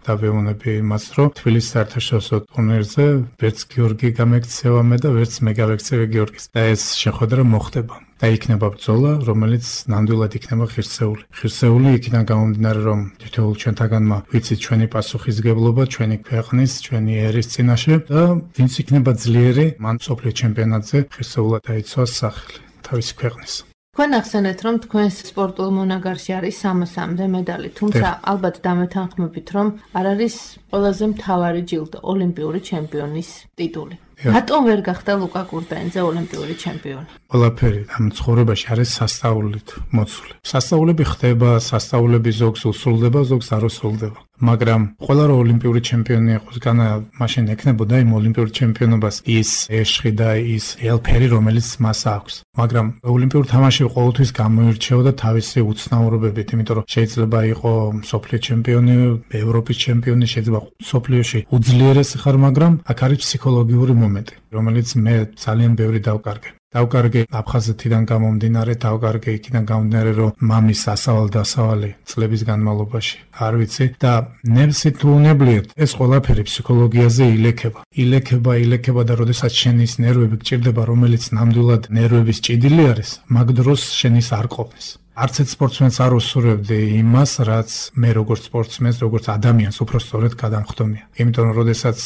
და ვეუბნები იმას, რომ თბილისის საერთაშორისო ტურნირზე ვერც გიორგი გამექცევა მე და ვერც მე გავექცევი გიორგის. და ეს შეხვედრა მოხდება. და იქნება ბრძოლა, რომელიც ნამდვილად იქნება ღირსეული. ღირსეული იქიდან გამომდინარე, რომ თითოეულ ჩვენთაგანმა ვიცით ჩვენი პასუხისგებლობა, ჩვენი ქვეყნის, ჩვენი ერის წინაშე და ვინც იქნება ძლიერი, მან მსოფლიო ჩემპიონატზე ღირსეულად დაიცვას სახელი თავისი ქვეყნის. თქვენ ახსენეთ, რომ თქვენს სპორტულ მონაგარში არის 300-მდე მედალი, თუმცა ალბათ დამეთანხმებით, რომ არ არის ყველაზე მთავარი ჯილდო, ოლიმპიური ჩემპიონის ტიტული. რატომ ვერ გახდა ლუკა კურტანიძე ოლიმპიური ჩემპიონი? ყველაფერი ამ ცხოვრებაში არის სასწაულით მოცული. სასწაულები ხდება, სასწაულები ზოგს უსრულდება, ზოგს არ უსრულდება. მაგრამ ყველა რომ ოლიმპიური ჩემპიონი იყოს, განა მაშინ ექნებოდა იმ ოლიმპიურ ჩემპიონობას ის ეშხი და ის ელფერი, რომელიც მას აქვს. მაგრამ ოლიმპიური თამაში ყოველთვის გამოირჩეოდა თავისი უცნაურობებით, იმიტომ რომ შეიძლება იყო მსოფლიო ჩემპიონი, ევროპის ჩემპიონი, შეიძლება მსოფლიოში უძლიერესი ხარ, მაგრამ აქ არის ფსიქოლოგიური მომენტი, რომელიც მე ძალიან ბევრი დავკარგე. დავკარგე აფხაზეთიდან გამომდინარე, დავკარგე იქიდან გამომდინარე, რომ მამის ასავალ-დასავალი წლების განმავლობაში არ ვიცი და ნერვსი თუ უნებლიეთ, ეს ყველაფერი ფსიქოლოგიაზე ილექება და როდესაც შენის ნერვები გჭირდება, რომელიც ნამდვილად ნერვების ჭიდილი არის, მაგ დროს შენის არ ყოფნის. არც ერთ სპორტსმენს არ უსურვებდი იმას, რაც მე როგორც სპორტსმენს, როგორც ადამიანს უფრო სწორედ გადამხდომია. იმიტომ რომ როდესაც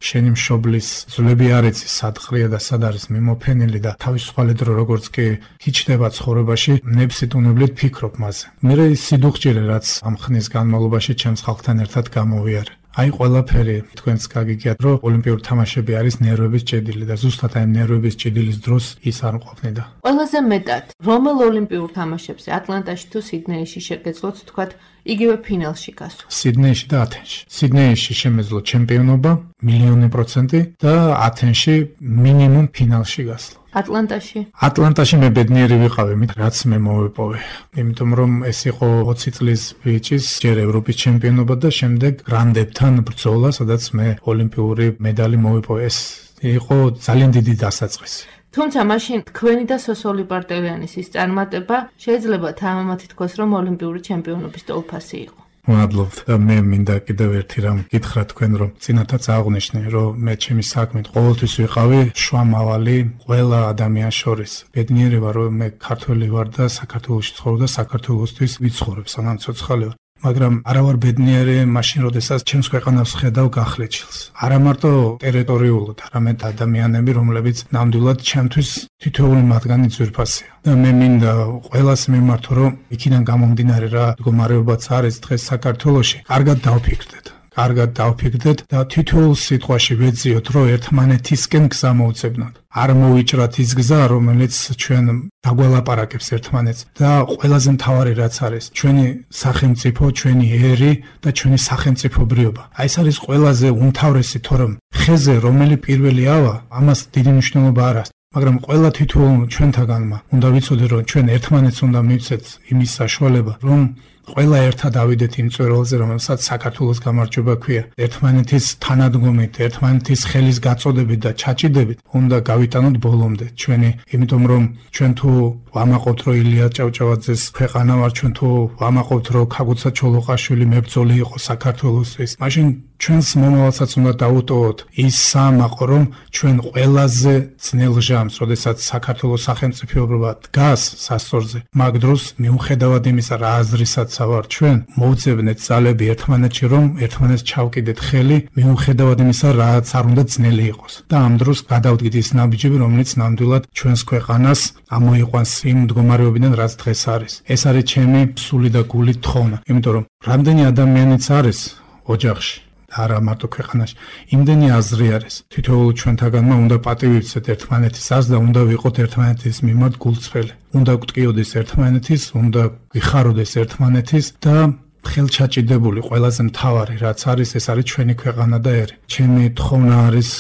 შენი მშობლის ძვლები არ იცის, სად ყრია და სად არის მიმოფენილი და თავისუფალი დრო როგორც კი ჩდება ცხოვრებაში, ნებსით უნებლიეთ ფიქრობ მასზე. მე ის სიდუხჭირე, რაც ამ ხნის განმავლობაში ჩემს ხალხთან ერთად გამოვიარე. აი ყველაფერი თქვენს გაგიგიათ, რომ ოლიმპიური თამაშები არის ნერვების ჭედილი და ზუსტად აი ნერვების ჭედილის დროს ის არ მყოფნიდა. ყველაზე მეტად რომელ ოლიმპიურ თამაშებზე, ატლანტაში თუ სიდნეიში შეგეძლოთ თქვათ იგივე ფინალში გასვლა. სიდნეიში და ათენში. სიდნეიში შემეძლო ჩემპიონობა 1,000,000% და ათენში მინიმუმ ფინალში გასვლა. ატლანტაში მე ბედნიერი ვიყავი, რაც მე მოვიპოვე. იმიტომ რომ ეს იყო 20 წლის ბიჭის ჯერ ევროპის ჩემპიონობა და შემდეგ გრანდებთან ბრძოლა, სადაც მე ოლიმპიური მედალი მოვიპოვე. ეს იყო ძალიან დიდი დასაწყისი. თუმცა მაშინ თქვენი და სოსოლი პარტელიანის ის წარმატება შეიძლება თამამათი თქვას, რომ ოლიმპიური ჩემპიონობის ტოლფასი იყო. მადლობთ და მე მინდა კიდევ ერთი რამ გითხრა თქვენ, რომ წინათაც აღნიშნე, რომ მე ჩემი საქმით ყოველთვის ვიყავი შუამავალი ყველა ადამიანს შორის. ბედნიერი ვარ, რომ მე ქართველი ვარ და საქართველოში ცხოვრობ და საქართველოსთვის ვიცხოვრებ, სანამ ცოცხალი ვარ. მაგრამ არა ვარ ბედნიერი მაშინ, როდესაც ჩემს ქვეყანას ხედავ გახლეჩილს. არა მარტო ტერიტორიულად, არამედ ადამიანები, რომლებიც ნამდვილად ჩემთვის თითოეული მათგანი ძვირფასია. და მე მინდა ყველას მიმართო, რომ იქიდან გამომდინარე რა მდგომარეობაც არის დღეს საქართველოში, კარგად დავფიქრდეთ და თითოეულ სიტყვაში ვეძიოთ, რომ ერთმანეთისკენ გზა მოვუწებნოთ. არ მოვიჭრათ ის გზა, რომელიც ჩვენ დაგვალაპარაკებს ერთმანეთს და ყველაზე მთავარი რაც არის, ჩვენი სახელმწიფო, ჩვენი ერი და ჩვენი სახელმწიფობრიობა. აი ეს არის ყველაზე უმთავრესი, თორემ ხეზე რომელი პირველი ავა, ამას დიდი მნიშვნელობა არ აქვს. მაგრამ ყველა თითოეულ ჩვენთაგანმა უნდა ვიცოდეთ, რომ ჩვენ ერთმანეთს უნდა მივცეთ იმის საშუალება, რომ ყველა ერთად ავიდეთ იმ წვერვალზე, რომელსაც საქართველოს გამარჯვება ქვია. ერთმანეთის თანადგომით, ერთმანეთის ხელის გაწოდებით და ჩაჭიდებით უნდა გავიტანოთ ბოლომდე ჩვენი, იმიტომ რომ ჩვენ თუ ვამაყობთ, რომ ილია ჭავჭავაძეს ქვეყანა ვარ, ჩვენ თუ ვამაყობთ, რომ ქაგუცა ჩოლოყაშვილი მებრძოლი იყო საქართველოსთვის, მაშინ ჩვენს მომავალსაც უნდა დავუტოვოთ ის საამაყო, რომ ჩვენ ყველაზე ძნელ ჟამს, როდესაც საქართველოს სახელმწიფოებრობა დგას სასწორზე, მაგ დროს მიუხედავად იმისა, რა აზრისაც ვარ ჩვენ, მოვძებნეთ ძალები ერთმანეთში, რომ ერთმანეთს ჩავკიდეთ ხელი, მიუხედავად იმისა, რაც არ უნდა ძნელი იყოს. და ამ დროს გადავდგით ის ნაბიჯები, რომელიც ნამდვილად ჩვენს ქვეყანას ამოიყვანს იმ მდგომარეობიდან, რაც დღეს არის. ეს არის ჩემი სული და გული თხოვნა, იმიტომ რომ რამდენი ადამიანიც არის ოჯახში, არა მარტო ქვეყანაში, იმდენი აზრი არის. თითოეულ ჩვენთაგანმა უნდა პატივი ვცეთ ერთმანეთის აზრს და უნდა ვიყოთ ერთმანეთის მიმართ გულწრფელი. უნდა გვტკიოდეს ერთმანეთის, უნდა გვიხაროდეს ერთმანეთის და ხელჩაჭიდებული ყველაზე მთავარი რაც არის, ეს არის ჩვენი ქვეყანა და ერი. ჩემი თხოვნა არის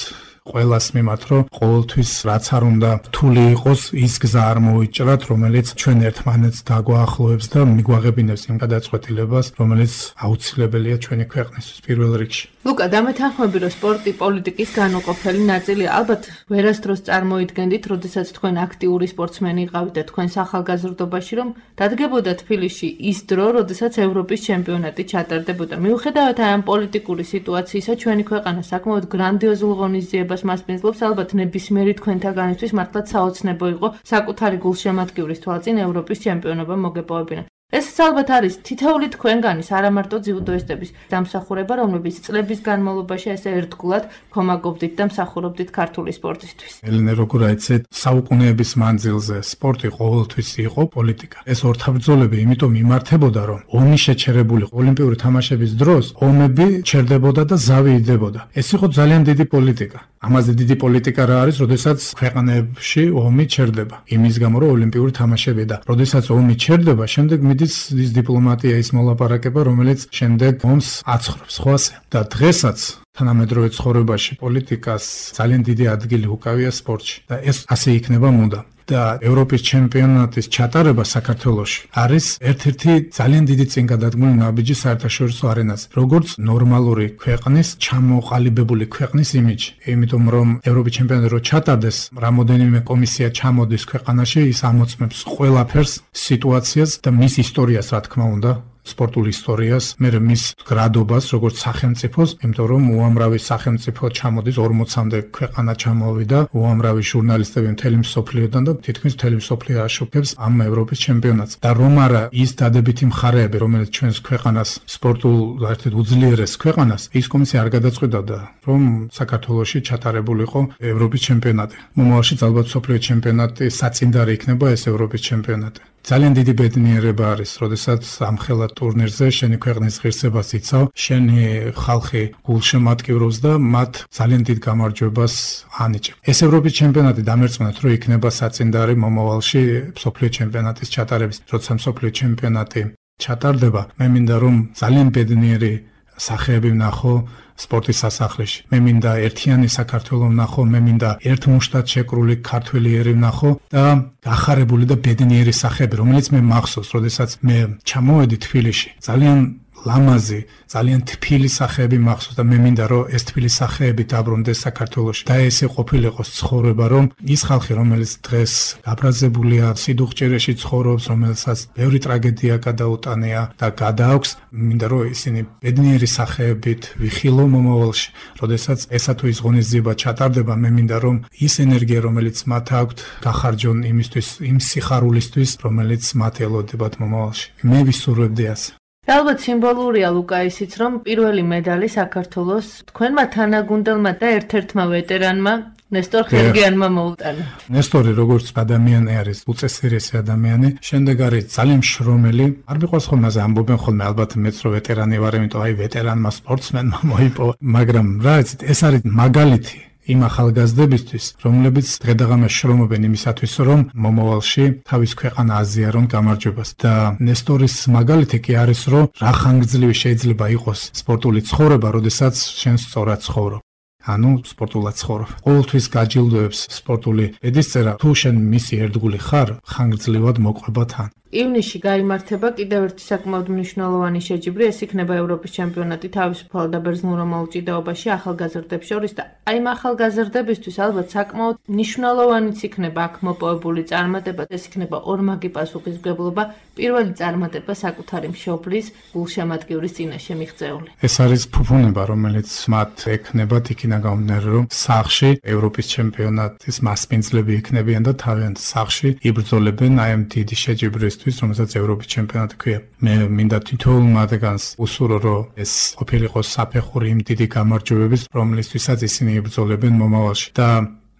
ყველას მიმართ, რომ ყოველთვის რაც არ უნდა რთული იყოს, ის გზა არ მოვიჭრათ, რომელიც ჩვენ ერთმანეთს დაგვაახლოვებს და მიგვაღებინებს იმ გადაწყვეტილებას, რომელიც აუცილებელია ჩვენი ქვეყნისთვის პირველ რიგში. ლუკა, დამეთანხმები, რომ სპორტი პოლიტიკის განუყოფელი ნაწილია. ალბათ ვერასდროს წარმოიდგენდით, როდესაც თქვენ აქტიური სპორტსმენი იყავით და თქვენ ახალგაზრდობაში, რომ დადგებოდა თბილისში ის დრო, როდესაც ევროპის ჩემპიონატი ჩატარდებოდა. მიუხედავად ამ პოლიტიკური სიტუაციისა, ჩვენი ქვეყანა საკმაოდ გრანდიოზულ ღონისძიებას მასპინძლობს. ალბათ ნებისმიერი თქვენთაგანისთვის მართლაც საოცნებო იყო საკუთარი გულშემატკივრის თვალწინ ევროპის ჩემპიონობა მოგეპოვებინა. ეს ალბათ არის თითოეული თქვენგანის, არა მარტო ძიუდოისტების დამსახურება, რომლებიც წლების განმავლობაში ესე ერთგულად ქომაგობდით და მსახურობდით ქართული სპორტისთვის. ელენე, როგორ აიცეთ, საუკუნეების მანძილზე სპორტი ყოველთვის იყო პოლიტიკა. ეს ორთაბრძოლები იმიტომ იმართებოდა, რომ ომი შეჩერებული ოლიმპიური თამაშების დროს ომები ჩერდებოდა და ზავი იდებოდა. ეს იყო ძალიან დიდი პოლიტიკა. ამაზე დიდი პოლიტიკა რა არის, როდესაც ქვეყანებში ომი ჩერდება. იმის გამო, რომ ოლიმპიური თამაშები და როდესაც ომი ჩერდება, შემდეგ მიდის ის დიპლომატია, ის მოლაპარაკება, რომელიც შემდეგ ომს აცხრობს, ხო ასე? და დღესაც თანამედროვე ცხოვრებაში პოლიტიკას ძალიან დიდი ადგილი უკავია სპორტში და ეს ასე იქნება მუდამ. და ევროპის ჩემპიონატის ჩატარება საქართველოში არის ერთ-ერთი ძალიან დიდი წინგადადგმული ნაბიჯი საერთაშორისო არენაზე, როგორც ნორმალური ქვეყნის, ჩამოყალიბებული ქვეყნის იმიჯი. იმიტომ რომ ევროპის ჩემპიონატი რო ჩატარდეს, რამოდენიმე კომისია ჩამოდის ქვეყანაში, ის ამოწმებს ყველაფერს, სიტუაციას და მის ისტორიას, რა თქმა უნდა, სპორტულ ისტორიას, მე მის გრადობას, როგორც სახელმწიფოს, იმიტომ რომ უამრავი სახელმწიფო ჩამოდის 40-მდე ქვეყანა ჩამოვიდა, უამრავი ჟურნალისტები მთელი მსოფლიოდან და თითქმის მთელი მსოფლიო აშუქებს ამ ევროპის ჩემპიონატს. და რომ არა ის დადებითი მხარეები, რომელიც ჩვენს ქვეყანას სპორტულ ერთ-ერთ უძლიერეს ქვეყანას, ის კომისია არ გადაწყვეტდა, რომ საქართველოში ჩატარებულიყო ევროპის ჩემპიონატი. მომავალში ალბათ მსოფლიო ჩემპიონატი საწინდარი იქნება ეს ევროპის ჩემპიონატი. ძალიან დიდი ბედნიერება არის, როდესაც ამხელა ტურნირზე შენი ქვეყნის ღირსებას იცავ, შენი ხალხი გულშემატკივრობს და მათ ძალიან დიდ გამარჯვებას ანიჭებ. ეს ევროპის ჩემპიონატი დამერწმუნეთ, რომ იქნება საწინდარი მომავალში მსოფლიო ჩემპიონატის ჩატარების, როცა მსოფლიო ჩემპიონატი ჩატარდება, მე მინდა რომ ძალიან ბედნიერი სახეები ვნახო სპორტის სასახლეში. მე მინდა ერთიანი საქართველო ვნახო, მე მინდა ერთმუშტად შეკრული ქართველიერი ვნახო და გახარებული და ბედნიერი სახეები, რომელიც მე მახსოვს, როდესაც მე ჩამოვედი თბილისში. ძალიან ლამაზი, ძალიან თბილი სახეები მახსოვს და მე მინდა რომ ეს თბილი სახეები დაბრუნდეს საქართველოში. და ესე ყოფილიყოს ცხოვრება, რომ ის ხალხი, რომელიც დღეს გაბრაზებულია, სიდუხჭერეში ცხოვრობს, რომელსაც ბევრი ტრაგედია გადაუტანია და გადააქვს, მინდა რომ ისინი ბედნიერი სახეებით ვიხილო მომავალში. როდესაც ესა თუ ის ღონისძიება ჩატარდება, მე მინდა რომ ის ენერგია, რომელიც მათ აქვთ, გახარჯონ იმისთვის, იმ სიხარულისთვის, რომელიც მათ ელოდებათ მომავალში. მე ვისურვებდი ასე. ალბათ სიმბოლურია ლუკა ისიც, რომ პირველი медаლი საქართველოს თქვენმა თანაგუნდელმა და ერთ-ერთმა ვეტერანმა ნესტორ ხერგიანმა მოუტანა. ნესტორი როგორც ადამიანი არის, უწესრიესი ადამიანი, შემდეგ არის ძალიან შრომელი. არ მიყვარს ხოლმე ასე ამბობენ ხოლმე, ალბათ მეც რო ვეტერანი ვარ, იმიტომ აი ვეტერანმა სპორტსმენმა მოიპოვა, მაგრამ რა იცით, ეს არის მაგალითი იმ ახალგაზრდებისთვის, რომლებიც დღედაღამე შრომობენ იმისათვის, რომ მომავალში თავის ქვეყანა აზიარონ გამარჯვებას. და ნესტორის მაგალითი კი არის, რომ რა ხანგრძლივი შეიძლება იყოს სპორტული ცხოვრება, როდესაც შენ სწორად ცხოვრობ. ანუ სპორტულად ცხოვრობ. ყოველთვის გაჯილდოებს სპორტული ბედისწერა, თუ შენ მისი ერთგული ხარ, ხანგრძლივად მოყვება თან. ივნისში გაიმართება კიდევ ერთი საკმაოდ მნიშვნელოვანი შეჯიბრი, ეს იქნება ევროპის ჩემპიონატი თავისუფალ და ბერძნულ მომაუჭიდეობაში ახალგაზრდებს შორის და აი ამ ახალგაზრდებისთვის ალბათ საკმაოდ მნიშვნელოვანიც იქნება აქ მოპოვებული წარმატება, ეს იქნება ორმაგი პასუხისმგებლობა, პირველი წარმატება საკუთარი მშობლის გულშემატკივრის წინაშე მიღწეული. ეს არის ფუფუნება, რომელიც მათ ექნებათ იქინა გამომდინარე, რომ სახში ევროპის ჩემპიონატის მასპინძლები იქნებიან და თავიანთ სახში იბრძოლებენ აი ამ დიდი შეჯიბრისთვის, რომელსაც ევროპის ჩემპიონატი ქვია. მე მინდა თითოეულ მათგანს უსურო, რომ ეს ყოფილიყო საფეხური იმ დიდი გამარჯვებების, რომლისთვისაც ისინი იბრძოლებენ მომავალში. და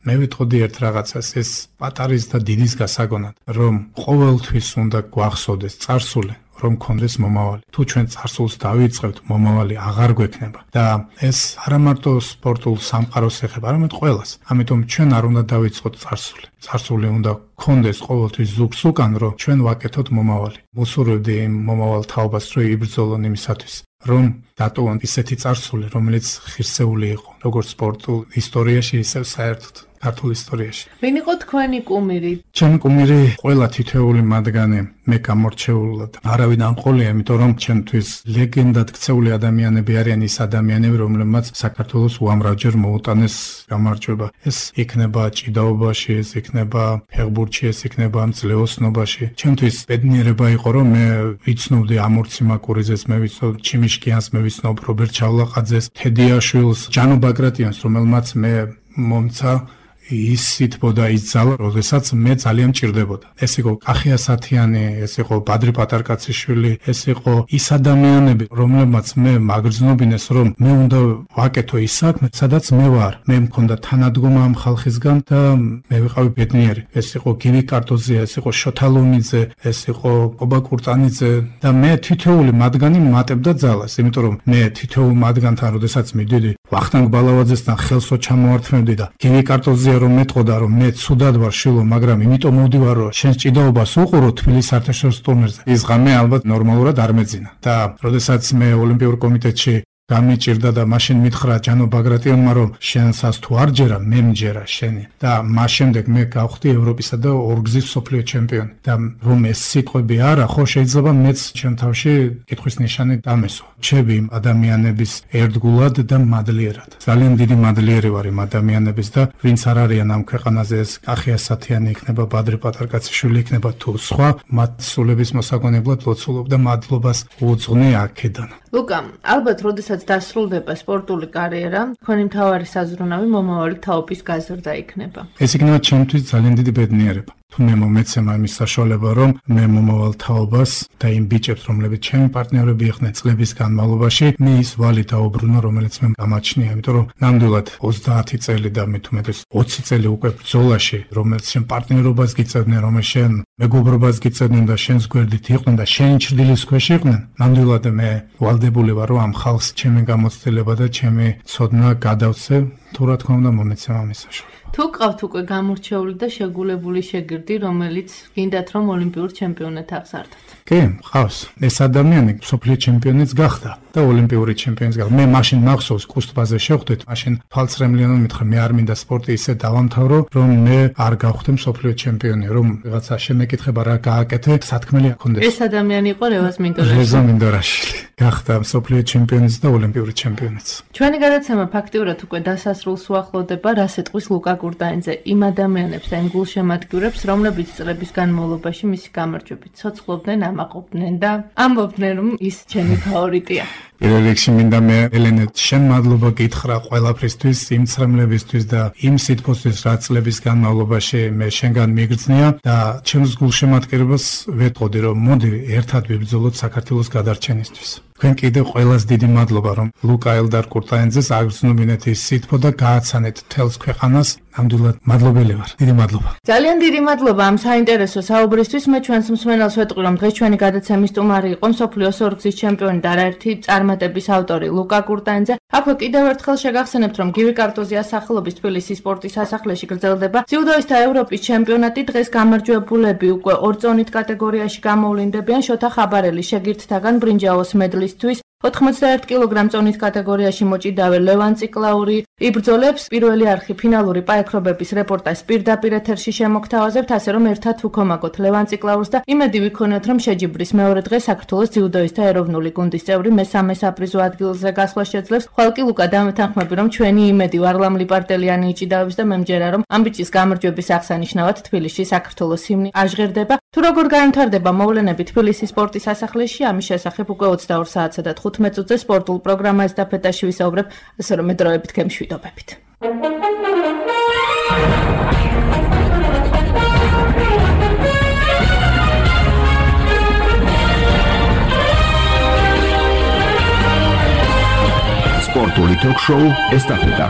მე ვიტყოდი ერთ რაღაცას, ეს პატარის და დიდის გასაგონად, რომ ყოველთვის უნდა გვახსოვდეს წარსული, რომ გქონდეს მომავალი. თუ ჩვენ წარსულს დავიწყებთ, მომავალი აღარ გვექნება. და ეს არა მარტო სპორტულ სამყაროს ეხება, არამედ ყველას. ამიტომ ჩვენ არ უნდა დავიწყოთ წარსული. წარსული უნდა გქონდეს ყოველთვის ზურგს უკან, რომ ჩვენ ვაკეთოთ მომავალი. ვუსურვებდი იმ მომავალ თაობას, რომ იბრძოლონ იმისათვის, რომ დატოვონ ისეთი წარსული, რომელიც ღირსეული იყო, როგორც სპორტულ ისტორიაში, ისე საერთოდ ქართულ ისტორიაში. ვინ იყო თქვენი კუმირი? ჩემი კუმირი ყველა თითოეული მათგანი მე გამორჩეულად არავინ ამყოლია, იმიტომ რომ ჩემთვის ლეგენდად ქცეული ადამიანები არიან ის ადამიანები, რომლებმაც საქართველოს უამრავჯერ მოუტანეს გამარჯვება. ეს იქნება ჭიდაობაში, ეს იქნება ფეხბურთში, ეს იქნება მძლეოსნობაში. ჩემთვის ბედნიერება იყო, რომ მე ვიცნობდი ამორცი მაკურიძეს, მე ვიცნობ ჩიმიშკიანს, მე ვიცნობ რობერტ ჩავლაყაძეს, თედიაშვილს, ჯანო ბაგრატიანს, რომელმაც მე მომცა ის სიტყვა ის ძალა, როდესაც მე ძალიან მჭირდებოდა. ეს იყო კახია სათიანი, ეს იყო ბადრი პატარკაციშვილი, ეს იყო ის ადამიანები, რომლებმაც მე მაგრძნობინეს, რომ მე უნდა ვაკეთო ის საქმე, სადაც მე ვარ. მე მქონდა თანადგომა ამ ხალხისგან და მე ვიყავი ბედნიერი. ეს იყო გივი კარტოზია, ეს იყო შოთა ლომიძე, ეს იყო ყობა კურტანიძე და მე თითოეული მათგანი მატებდა ძალას, იმიტომ რომ მე თითოეულ მათგანთან, როდესაც მიდიდი ვახტანგ ბალავაძესთან ხელსო ჩამოვართმევდი და გივი კარტოზია რომ მეტყოდა, რომ მე ცუდად ვარ შილო, მაგრამ იმიტომ მოვდივარ, რომ შენს ჭიდაობას უყურო თბილისის საერთაშორისო ტურნირზე. ის ღამე ალბათ ნორმალურად არ მეძინა. და როდესაც მე ოლიმპიურ კომიტეტში გამიჭირდა და მაშინ მითხრა ჯანო ბაგრატიანმა, რომ შენსაც თუ არ ჯერა, მე მჯერა შენი. და მას შემდეგ მე გავხდი ევროპისა და ორგზის მსოფლიო ჩემპიონი. და რომ ეს სიტყვები არა, ხო შეიძლება მეც ჩემ თავში კითხვის ნიშანი დამესვა. ჩები ადამიანების ერთგულად და მადლიერად. ძალიან დიდი მადლიერი ვარ იმ ადამიანების და ვინც არ არიან ამ ქვეყანაზე, ეს კახია სათიანი იქნება, ბადრი პატარკაციშვილი იქნება თუ სხვა, მათ სულების მოსაგონებლად ლოცულობ და მადლობას უძღვნი აქედან. ლუკა, ალბათ როდესაც დასრულდება სპორტული კარიერა, თქვენი მთავარი საზრუნავი მომავალი თაობის გაზრდა იქნება. ეს იქნება ჩემთვის ძალიან დიდი ბედნიერება. თუ მე მომეცემა იმის საშუალება, რომ მე მომავალ თაობას და იმ ბიჭებს, რომლებიც ჩემი პარტნიორები იყვნენ წლების განმავლობაში, მე ის ვალი დაუბრუნო, რომელიც მე გამაჩნია, იმიტომ რომ ნამდვილად 30 წელი და მე თუმეტეს 20 წელი უკვე ბრძოლაში, რომელიც შენ პარტნიორობას გიწევდნენ, რომელიც შენ მეგობრობას გიწევდნენ და შენს გვერდით იყვნენ და შენი ჩრდილის ქვეშ იყვნენ, ნამდვილად მე ვალდებული ვარ, რომ ამ ხალხს ჩემი გამოცდილება და ჩემი ცოდნა გადავცე თუ რა თქმა უნდა მომეცემა მის საშუალება. თუ ყავთ უკვე გამორჩეული და შეგულებული შეგირდი, რომელიც გინდათ რომ ოლიმპიურ ჩემპიონად აღზარდოთ? კი, ყავს. ეს ადამიანი მსოფლიო ჩემპიონიც გახდა და ოლიმპიური ჩემპიონიც გახდა. მე მაშინ მახსოვს კუსტბაზე შევხვდით, მაშინ თვალწრემლიანად მითხრა, მე არ მინდა სპორტი ისე დავამთავრო, რომ მე არ გავხდე მსოფლიო ჩემპიონი, რომ რაღაცა შემეკითხება რა გააკეთე, სათქმელი აქონდეს. ეს ადამიანი იყო რევაზ მინდორაშვილი. რეზა მინდორაშვილი. გახდა მსოფლიო ჩემპიონიც და ოლიმპიური ჩემპიონიც. ჩვენი გადაცემა ფაქტიურად უკვე დასასრულს უახლოვდება, რას ეტყვის ლუკა კურტაინძე იმ ადამიანებს და იმ გულშემატკივრებს, რომლებიც წლების განმავლობაში მისი გამარჯვებით ცოცხლობდნენ, ამაყობდნენ და ამბობდნენ, რომ ის ჩემი ფავორიტია. პირველ რიგში მინდა მე ელენეთ შენ მადლობა გითხრა ყველაფრისთვის, იმ ცრემლებისთვის და იმ სითბოსთვის, რაც წლების განმავლობაში მე შენგან მიგრძნია და ჩემს გულშემატკივრებას ვეტყოდი, რომ მოდი ერთად ვიბრძოლოთ საქართველოს გადარჩენისთვის. თქვენ კიდევ ყველას დიდი მადლობა, რომ ლუკა ელდარ კურტაინძეს აგრძნობინეთ ის სითბო და გააცანეთ თელს ქვეყანას. ნამდვილად მადლობელი ვარ. დიდი მადლობა. ძალიან დიდი მადლობა ამ საინტერესო საუბრისთვის. მე ჩვენს მსმენელს ვეტყვი, რომ დღეს ჩვენი გადაცემის სტუმარი იყო მსოფლიოს ორგზის ჩემპიონი და არაერთი წარმატების ავტორი ლუკა კურტაინძე. აქვე კიდევ ერთხელ შეგახსენებთ, რომ გივი კარტოზიას სახელობის თბილისის სპორტის სასახლეში გრძელდება ძიუდოისტთა ევროპის ჩემპიონატი. დღეს გამარჯვებულები უკვე ორწონით კატეგორიაში გამოვლინდებიან შოთა ხაბარელის შეგირდთაგან ბრინჯაოს მედლისთვის. 91 კილოგრამ წონის კატეგორიაში მოჭიდავე ლევან ციკლაური იბრძოლებს. პირველი არხი ფინალური პაექრობების რეპორტაჟს პირდაპირ ეთერში შემოგთავაზებთ, ასე რომ ერთად ვუქომაგოთ ლევან ციკლაურს და იმედი ვიქონოთ, რომ შეჯიბრის მეორე დღე საქართველოს ძიუდოისტთა ეროვნული გუნდის წევრი მესამე საპრიზო ადგილზე გასვლა შეძლებს. ხვალკი ლუკა დამეთანხმები, რომ ჩვენი იმედი ვარლამ ლიპარტელიანი იჭიდავებს და მე მჯერა, რომ ამ ბიჭის გამარჯვების აღსანიშნავად თბილისში საქართველოს ჰიმნი აჟღერდება. თუ როგორ განვითარდება მოვლენები თბილისის სპორტის სასახლეში, ამის შესახებ უკვე 22 საათსა და 15 წუთზე სპორტულ პროგრამას და ფეტაში ვისაუბრებ, ასე რომ მედროებით გემშვიდობებით. სპორტული ток-შოუ ესტაფეტა.